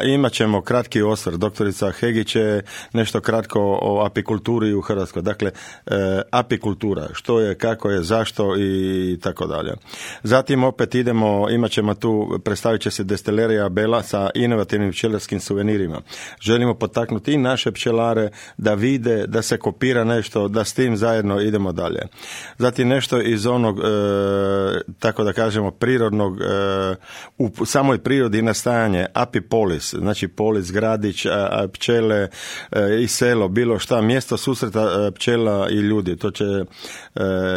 Imat ćemo kratki osvrt. Doktorica Hegić će nešto kratko o apikulturi u Hrvatskoj. Dakle, apikultura, što je, kako je, zašto i tako dalje. Zatim opet imat ćemo tu, predstavit će se destilerija Bela sa inovativnim pčelarskim suvenirima. Želimo potaknuti i naše pčelare da vide, da se kopira nešto, da s tim zajedno idemo dalje. Zatim nešto iz onog, tako da kažemo, prirodnog, u samoj prirodi nastajanje apipolis, znači polis, gradić, pčele i selo, bilo šta, mjesto susreta pčela i ljudi. To će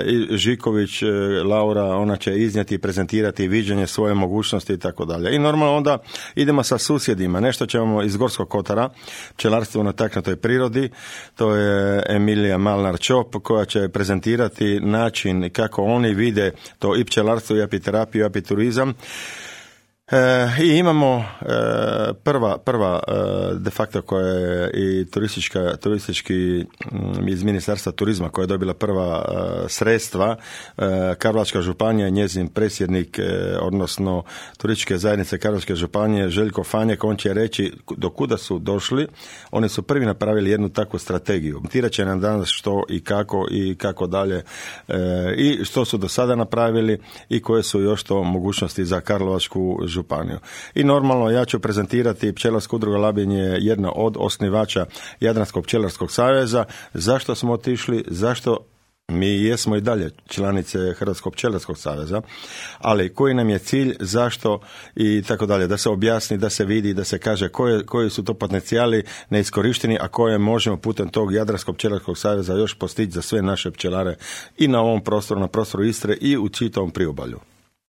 i Žiković, Laura, ona će iznijeti i prezentirati viđenje svoje mogućnosti i tako dalje. I normalno onda idemo sa susjedima. Nešto ćemo iz Gorskog kotara, pčelarstvo na taknutoj prirodi, to je Emilija Malnar-Čop koja će prezentirati način kako oni vide to i pčelarstvo i apiterapiju i apiturizam. I imamo prva de facto koja je i turistički iz Ministarstva turizma koja je dobila prva sredstva, Karlovačka županija, njezin predsjednik, odnosno turističke zajednice Karlovačke županije, Željko Fanjek, on će reći do kuda su došli. Oni su prvi napravili jednu takvu strategiju. Tirat će nam danas što i kako dalje i što su do sada napravili i koje su još to mogućnosti za Karlovačku županiju. I normalno ja ću prezentirati Pčelarska udruga Labin je jedna od osnivača Jadranskog pčelarskog saveza. Zašto smo otišli, zašto mi jesmo i dalje članice Hrvatskog pčelarskog saveza, ali koji nam je cilj, zašto i tako dalje, da se objasni, da se vidi, da se kaže koji su to potencijali neiskorišteni, a koje možemo putem tog Jadranskog pčelarskog saveza još postići za sve naše pčelare i na ovom prostoru, na prostoru Istre i u čitavom priobalju.